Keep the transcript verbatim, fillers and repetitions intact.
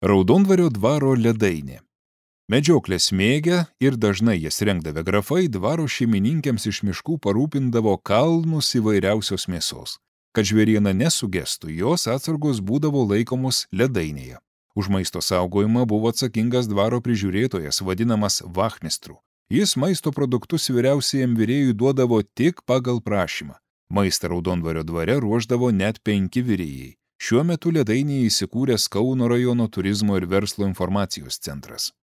Raudondvario dvaro ledainė. Medžioklės mėgę ir dažnai jas rengdavę grafai dvaro šeimininkėms iš miškų parūpindavo kalnus įvairiausios mėsos. Kad žvėriena nesugestų, jos atsargos būdavo laikomos ledainėje. Už maisto saugojimą buvo atsakingas dvaro prižiūrėtojas, vadinamas vachmistru. Jis maisto produktus vyriausiajam virėjui duodavo tik pagal prašymą. Maistą Raudondvario dvare ruošdavo net penki virėjai. Šiuo metu ledainėje įsikūręs Kauno rajono turizmo ir verslo informacijos centras.